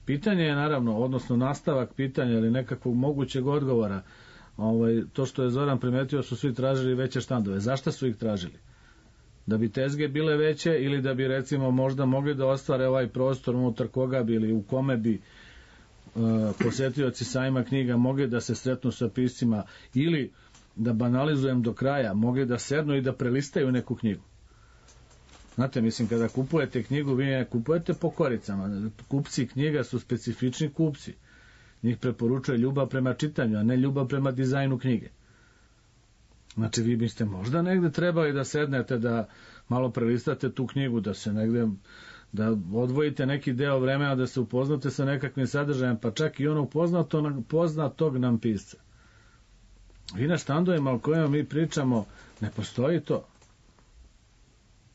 Pitanje je naravno, odnosno nastavak pitanja ili nekakvog mogućeg odgovora, to što je Zoran primetio, su svi tražili veće štandove. Zašto su ih tražili? Da bi tezge bile veće ili da bi recimo možda mogli da ostvare ovaj prostor unutar koga bi ili u kome bi posetioci sajma knjiga mogli da se sretnu sa piscima ili, da banalizujem do kraja, mogli da sednu i da prelistaju neku knjigu. Znate, mislim, kada kupujete knjigu, vi ne kupujete po koricama. Kupci knjiga su specifični kupci. Njih preporučuje ljubav prema čitanju, a ne ljubav prema dizajnu knjige. Znači, vi biste možda negde trebali da sednete, da malo prelistate tu knjigu, da se negde, da odvojite neki deo vremena, da se upoznate sa nekakvim sadržajem, pa čak i onog poznatog nam pisca. Vi na štandovima o kojima mi pričamo, ne postoji to.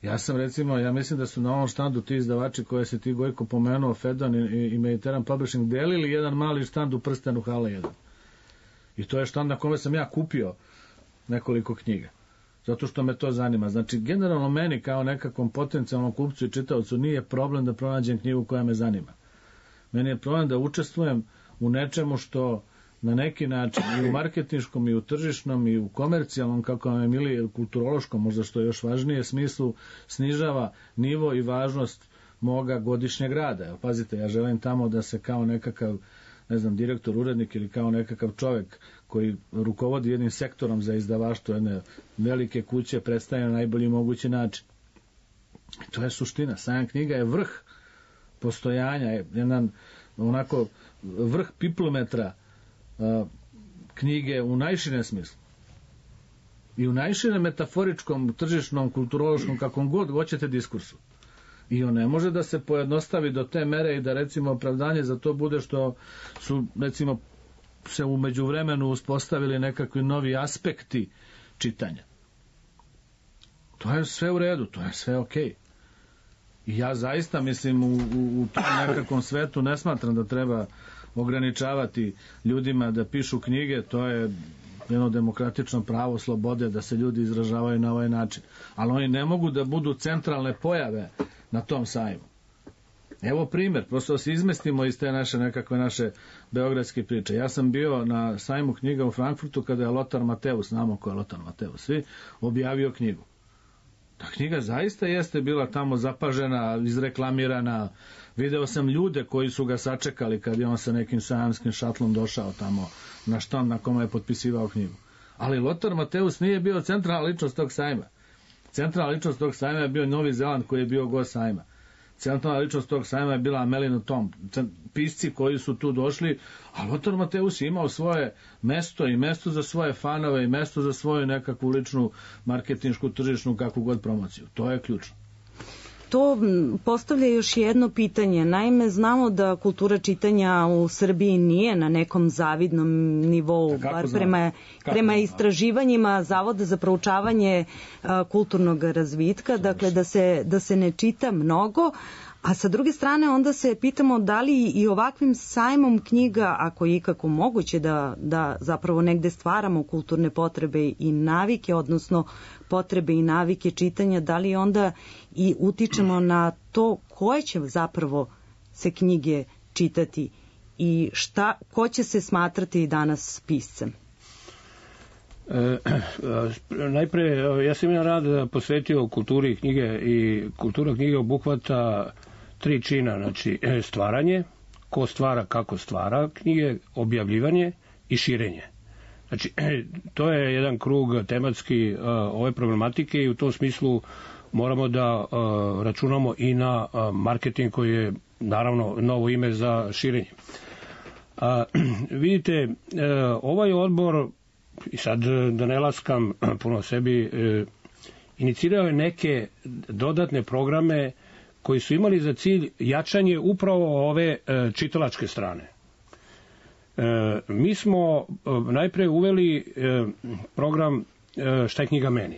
Ja sam recimo, ja mislim da su na ovom štandu ti izdavači koje se ti Gojko pomenuo, Fedon i Mediterranean Publishing, delili jedan mali štand u Prstenu Hala 1. I to je štand na kome sam ja kupio nekoliko knjiga. Zato što me to zanima. Znači, generalno meni kao nekakvom potencijalnom kupcu i čitaocu nije problem da pronađem knjigu koja me zanima. Meni je problem da učestvujem u nečemu što na neki način i u marketinškom i u tržišnom i u komercijalnom, kako vam je mili, kulturološkom, možda što je još važnije smislu, snižava nivo i važnost moga godišnjeg rada. Evo, pazite, ja želim tamo da se kao nekakav, ne znam, direktor, urednik ili kao nekakav čovek koji rukovodi jednim sektorom za izdavaštvo jedne velike kuće predstavlja na najbolji mogući način. I to je suština. Sajam knjiga je vrh postojanja, jedan onako vrh piplometra knjige u najširem smislu. I u najširem metaforičkom, tržišnom, kulturološkom, kakvom god hoćete diskursu. I on ne može da se pojednostavi do te mere i da recimo opravdanje za to bude što su recimo se u međuvremenu uspostavili nekakvi novi aspekti čitanja. To je sve u redu, to je sve okej. I ja zaista mislim u tom nekakvom svetu ne smatram da treba ograničavati ljudima da pišu knjige, to je jedno demokratično pravo slobode da se ljudi izražavaju na ovaj način. Ali oni ne mogu da budu centralne pojave na tom sajmu. Evo primjer, prosto da se izmestimo iz te naše beogradske priče. Ja sam bio na sajmu knjiga u Frankfurtu kada je Lothar Matthäus, znamo ko je Lothar Matthäus, svi, objavio knjigu. Ta knjiga zaista jeste bila tamo zapažena, izreklamirana. Video sam ljude koji su ga sačekali kad je on sa nekim sajamskim šatlom došao tamo na štand na kome je potpisivao knjigu. Ali Lothar Matthäus nije bio centralna ličnost tog sajma. Centralna ličnost tog sajma je bio Novi Zeland koji je bio gost sajma. Centralna ličnost tog sajma je bila Amelina Tom, pisci koji su tu došli, a Lothar Matthäus je imao svoje mesto i mesto za svoje fanove i mesto za svoju nekakvu ličnu marketinšku, tržišnu, kakvu god promociju. To je ključno. To postavlja još jedno pitanje. Naime, znamo da kultura čitanja u Srbiji nije na nekom zavidnom nivou, bar prema istraživanjima Zavoda za proučavanje kulturnog razvitka, dakle da se ne čita mnogo, a sa druge strane onda se pitamo da li i ovakvim sajmom knjiga, ako je ikako moguće da zapravo negde stvaramo kulturne potrebe i navike, odnosno potrebe i navike čitanja, da li onda i utičemo na to koje će zapravo se knjige čitati i ko će se smatrati danas piscem? Najpre, ja sam jedan rad posvetio kulturi knjige i kultura knjige obuhvata 3 čina, znači stvaranje, ko stvara, kako stvara knjige, objavljivanje i širenje. Znači, to je jedan krug tematski ove problematike i u tom smislu moramo da računamo i na marketing koji je naravno novo ime za širenje. Vidite, ovaj odbor, i sad da ne laskam puno sebi, inicirao je neke dodatne programe koji su imali za cilj jačanje upravo ove čitalačke strane. Mi smo najpre uveli program Šta je knjiga meni.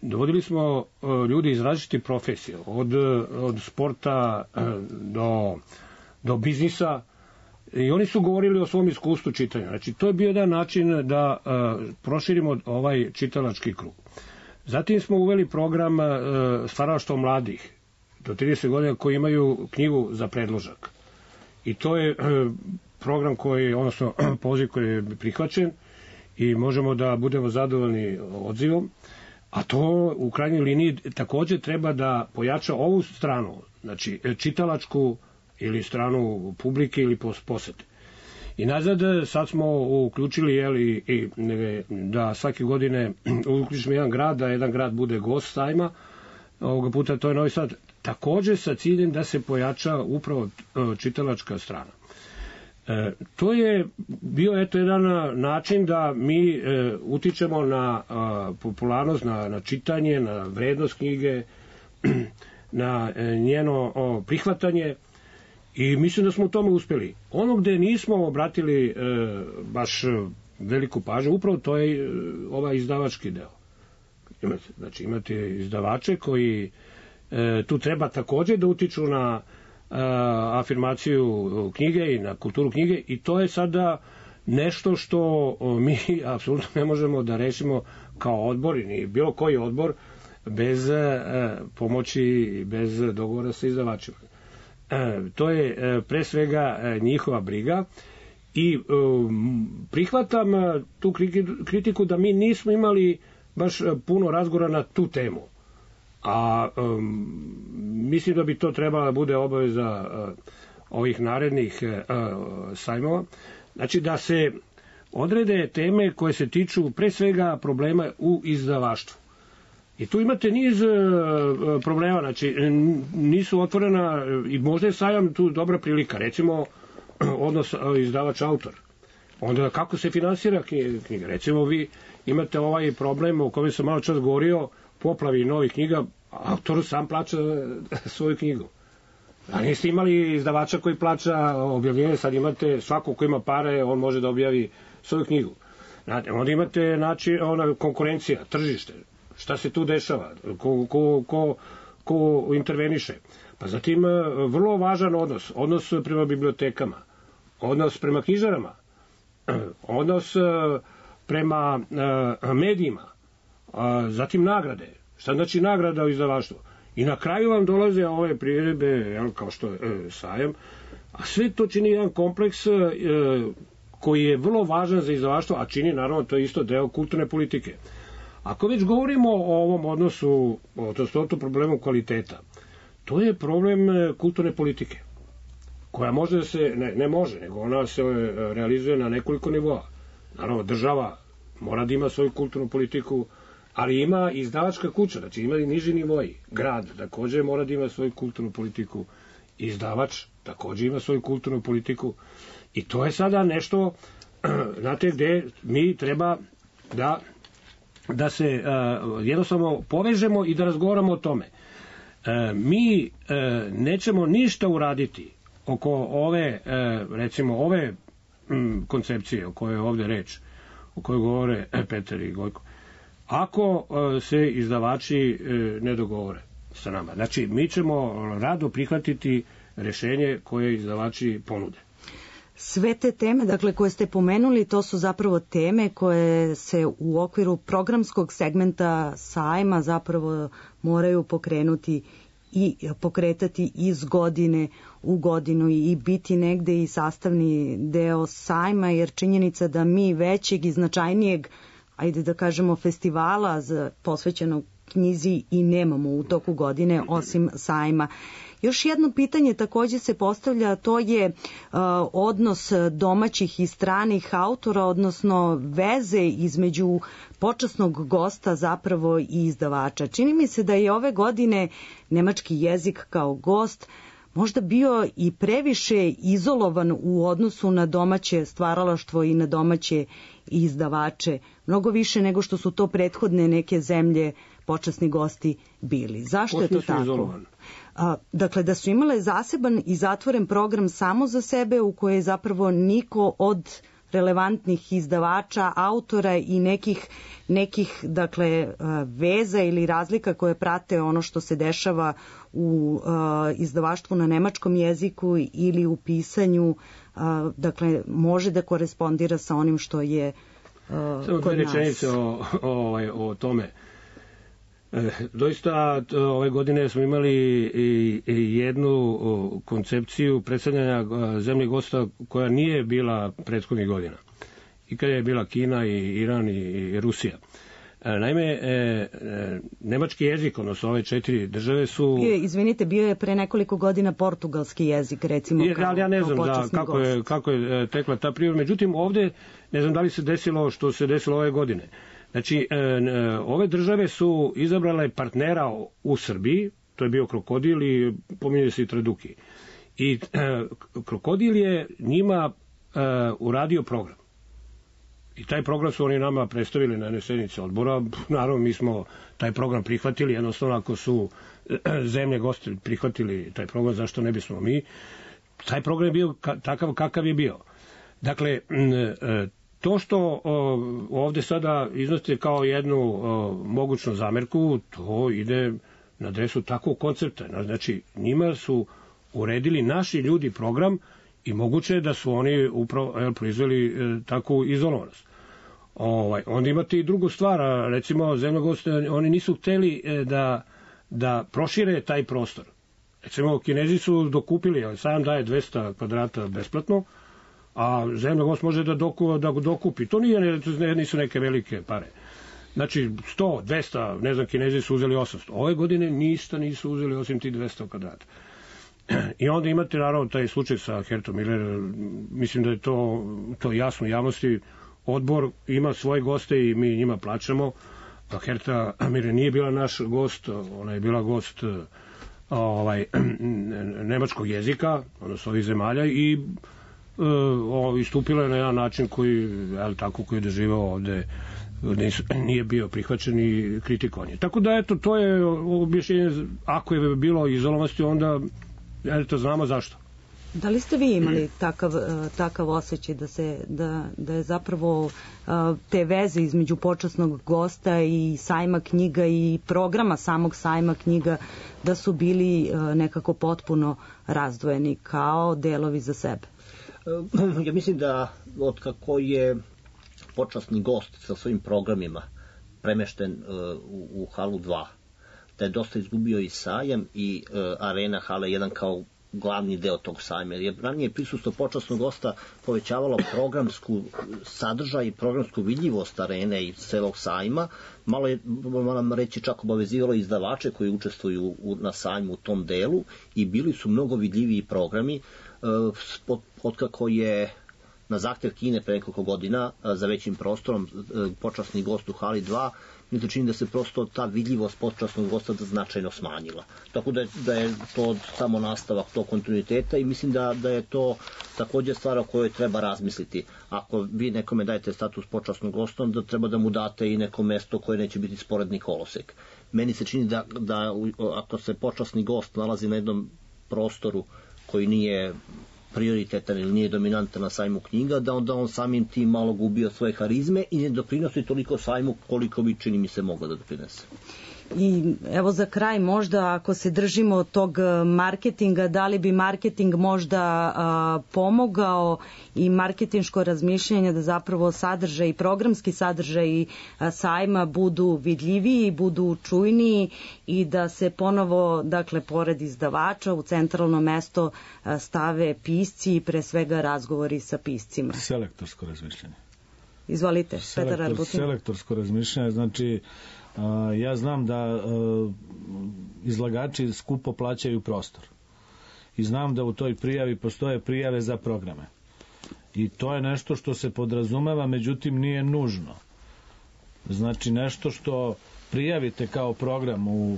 Dovodili smo ljudi iz različitih profesija, od sporta do biznisa, i oni su govorili o svom iskustvu čitanja. Znači, to je bio jedan način da proširimo ovaj čitalački krug. Zatim smo uveli program stvaralaštva mladih do 30 godina koji imaju knjigu za predložak. I to je program koji, odnosno poziv koji je prihvaćen i možemo da budemo zadovoljni odzivom, a to u krajnjoj liniji također treba da pojača ovu stranu, znači čitalačku ili stranu publike ili posete. I nazad sad smo uključili da svake godine uključimo jedan grad, da jedan grad bude gost sajma, ovoga puta to je Novi Sad, također sa ciljem da se pojača upravo čitalačka strana. To je bio jedan način da mi utičemo na popularnost, na čitanje, na vrednost knjige, na njeno prihvatanje, i mislim da smo u tome uspjeli. Ono gde nismo obratili baš veliku pažnju, upravo to je ovaj izdavački deo. Znači imate izdavače koji tu treba također da utiču na afirmaciju knjige i na kulturu knjige, i to je sada nešto što mi apsolutno ne možemo da rešimo kao odbor, ni bilo koji odbor, bez pomoći i bez dogovora sa izdavačima. To je pre svega njihova briga, I prihvatam tu kritiku da mi nismo imali baš puno razgovora na tu temu. A mislim da bi to trebala da bude obaveza ovih narednih sajmova. Znači da se odrede teme koje se tiču pre svega problema u izdavaštvu. I tu imate niz problema, znači nisu otvorena, i možda je sajam tu dobra prilika, recimo odnos izdavač-autor. Onda kako se finansira knjiga? Recimo vi imate ovaj problem o kojem sam malo čas govorio, poplavi novih knjiga, autor sam plaća svoju knjigu. A niste imali izdavača koji plaća objavljenje, sad imate svako ko ima pare, on može da objavi svoju knjigu. Onda imate konkurencija, tržište. Šta se tu dešava? Ko interveniše? Pa zatim vrlo važan odnos prema bibliotekama, odnos prema knjižarama, odnos prema medijima, zatim nagrade. Šta znači nagrada u izdavaštvu? I na kraju vam dolaze ove priredbe, kao što je sajam, a sve to čini jedan kompleks koji je vrlo važan za izdavaštvo, a čini naravno to je isto deo kulturne politike. Ako već govorimo o ovom odnosu, o tom problemu kvaliteta, to je problem kulturne politike, koja može da se, ne može, nego ona se realizuje na nekoliko nivoa. Naravno, država mora da ima svoju kulturnu politiku, ali ima i izdavačka kuća, znači ima i niži nivoji. Grad takođe mora da ima svoju kulturnu politiku, izdavač takođe ima svoju kulturnu politiku, i to je sada nešto, znate, gde mi treba da se jednostavno povežemo i da razgovaramo o tome. Mi nećemo ništa uraditi oko ove, recimo, ove koncepcije o kojoj je ovde reč, o kojoj govore Petar i Gojko, ako se izdavači ne dogovore sa nama. Znači, mi ćemo rado prihvatiti rešenje koje izdavači ponude. Sve te teme, dakle, koje ste pomenuli, to su zapravo teme koje se u okviru programskog segmenta sajma zapravo moraju pokrenuti i pokretati iz godine u godinu i biti negde i sastavni deo sajma, jer činjenica da mi većeg i značajnijeg, ajde da kažemo, festivala posvećenog knjizi i nemamo u toku godine osim sajma. Još jedno pitanje takođe se postavlja, to je odnos domaćih i stranih autora, odnosno veze između počasnog gosta zapravo i izdavača. Čini mi se da je ove godine nemački jezik kao gost možda bio i previše izolovan u odnosu na domaće stvaralaštvo i na domaće izdavače, mnogo više nego što su to prethodne neke zemlje počasni gosti bili. Zašto je to tako? Izolovan? Dakle, da su imale zaseban i zatvoren program samo za sebe, u koje zapravo niko od relevantnih izdavača, autora i nekih dakle, veza ili razlika koje prate ono što se dešava u izdavaštvu na nemačkom jeziku ili u pisanju, dakle, može da korespondira sa onim što je kod nas. Rečenice o tome. Doista, ove godine smo imali i jednu koncepciju predstavljanja zemlje gosta koja nije bila prethodnih godina. I kada je bila Kina i Iran i Rusija. Naime, nemački jezik, odnosno ove 4 države su... Izvinite, bio je pre nekoliko godina portugalski jezik, recimo, kao ja ne znam kako je tekla ta priroda. Međutim, ovde, ne znam da li se desilo što se desilo ove godine. Znači, ove države su izabrale partnera u Srbiji, to je bio Krokodil i pominje se i Traduki. I Krokodil je njima uradio program. I taj program su oni nama predstavili na jednoj sednici odbora. Naravno, mi smo taj program prihvatili, jednostavno ako su zemlje gosti prihvatili taj program, zašto ne bismo mi? Taj program je bio takav kakav je bio. Dakle, to što ovde sada iznosite kao jednu mogućnu zamerku, to ide na adresu takvog koncepta. Znači, njima su uredili naši ljudi program i moguće je da su oni upravo proizveli takvu izolovanost. Onda imate i drugu stvar, recimo zemljogosti, oni nisu hteli da prošire taj prostor. Recimo, Kinezi su dokupili, sajam daje 200 kvadrata besplatno, a zemlja gost može da dokupi. To nisu neke velike pare. Znači, 100, 200, ne znam, Kinezi su uzeli 800. Ove godine nisu uzeli osim ti 200 kvadrata. I onda imate, naravno, taj slučaj sa Hertom Miller. Mislim da je to jasno javnosti. Odbor ima svoje goste i mi njima plaćamo. Herta Miller nije bila naš gost, ona je bila gost nemačkog jezika, odnosno ovih zemalja, i istupila je na jedan način koji je doživao ovde, nije bio prihvaćen i kritikovan je. Tako da, eto, to je objašnjenje. Ako je bilo izolovanosti, onda znamo zašto. Da li ste vi imali takav osjećaj da je zapravo te veze između počasnog gosta i sajma knjiga i programa samog sajma knjiga da su bili nekako potpuno razdvojeni kao delovi za sebe? Ja mislim da otkako je počasni gost sa svojim programima premešten u halu 2, da je dosta izgubio i sajam i arena hala 1 kao glavni deo tog sajma, jer je ranije prisustvo počasnog gosta povećavalo programsku sadržaj i programsku vidljivost arene i celog sajma, malo je, moram reći, čak obavezivalo izdavače koji učestvuju na sajmu u tom delu i bili su mnogo vidljiviji programi. Otkako je na zahtev Kine pre nekoliko godina za većim prostorom počasni gost u hali 2, mi se čini da se prosto ta vidljivost počasnog gosta značajno smanjila. Tako da je to samo nastavak tog kontinuiteta i mislim da je to takođe stvar o kojoj treba razmisliti. Ako vi nekome dajete status počasnog gosta, onda treba da mu date i neko mesto koje neće biti sporedni kolosek. Meni se čini da ako se počasni gost nalazi na jednom prostoru koji nije prioritetan ili nije dominantan na sajmu knjiga, da onda on samim tim malo gubio svoje harizme i ne doprinosi toliko sajmu koliko bi, čini mi se, moglo da doprinese. I evo za kraj, možda ako se držimo tog marketinga, da li bi marketing možda pomogao i marketinško razmišljanje da zapravo sadržaj, programski sadržaj sajma budu vidljiviji, budu čujniji i da se ponovo, dakle, pored izdavača u centralno mesto stave pisci i pre svega razgovori sa piscima. Selektorsko razmišljanje. Izvolite, Petar Arbutin. Selektorsko razmišljanje, znači ja znam da izlagači skupo plaćaju prostor i znam da u toj prijavi postoje prijave za programe i to je nešto što se podrazumeva, međutim nije nužno. Znači nešto što prijavite kao program u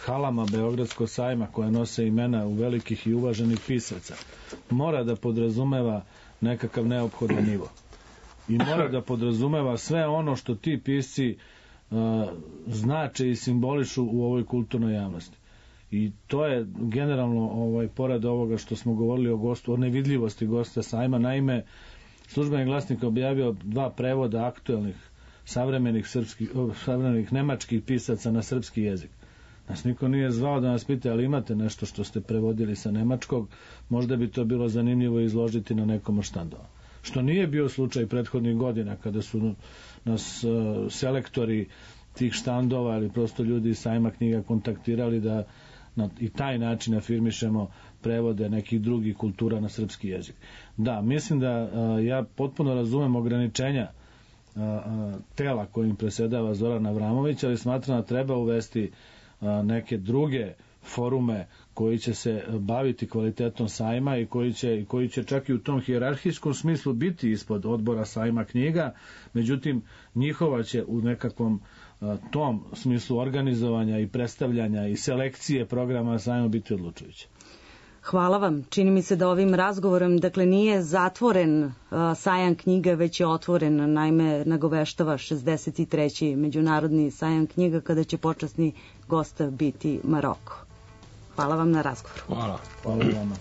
halama Beogradskog sajma koje nose imena u velikih i uvaženih pisaca mora da podrazumeva nekakav neophodan nivo. I mora da podrazumeva sve ono što ti pisci znače i simbolišu u ovoj kulturnoj javnosti. I to je generalno, pored ovoga što smo govorili o gostu, o nevidljivosti gosta sajma. Naime, Službeni glasnik objavio 2 prevoda aktuelnih savremenih nemačkih pisaca na srpski jezik. Nas niko nije zvao da nas pita, ali imate nešto što ste prevodili sa nemačkog, možda bi to bilo zanimljivo izložiti na nekom od štandova. Što nije bio slučaj prethodnih godina kada su nas selektori tih štandova ili prosto ljudi iz sajma knjiga kontaktirali da na i taj način afirmišemo prevode nekih drugih kultura na srpski jezik. Da, mislim da ja potpuno razumem ograničenja tela kojim presedava Zoran Avramović, ali smatram da treba uvesti neke druge forume koji će se baviti kvalitetom sajma i koji će čak i u tom hijerarhijskom smislu biti ispod odbora sajma knjiga, međutim njihova će u nekakvom tom smislu organizovanja i predstavljanja i selekcije programa sajma biti odlučujuće. Hvala vam. Čini mi se da ovim razgovorom, dakle, nije zatvoren sajam knjiga, već je otvoren. Naime, nagoveštava 63. međunarodni sajam knjiga kada će počasni gost biti Maroko. Hvala vam na razgovoru. Hvala. Hvala vama.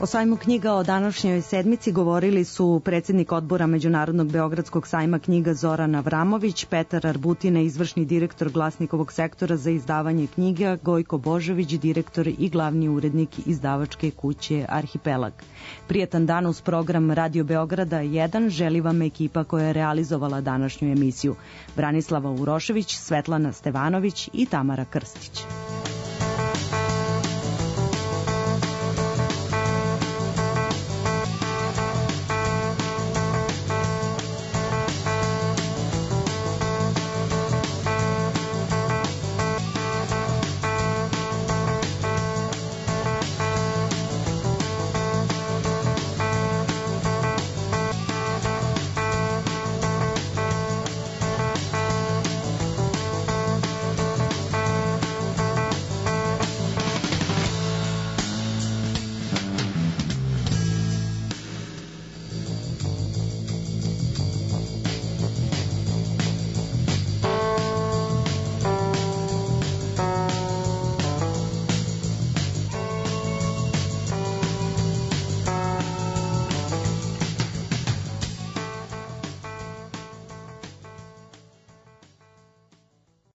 O sajmu knjiga o današnjoj sedmici govorili su predsjednik odbora Međunarodnog beogradskog sajma knjiga Zoran Avramović, Petar Arbutina, izvršni direktor Glasnikovog sektora za izdavanje knjiga, Gojko Božović, direktor i glavni urednik izdavačke kuće Arhipelag. Prijetan dan uz program Radio Beograda 1 želi vam ekipa koja je realizovala današnju emisiju. Branislava Urošević, Svetlana Stevanović i Tamara Krstić.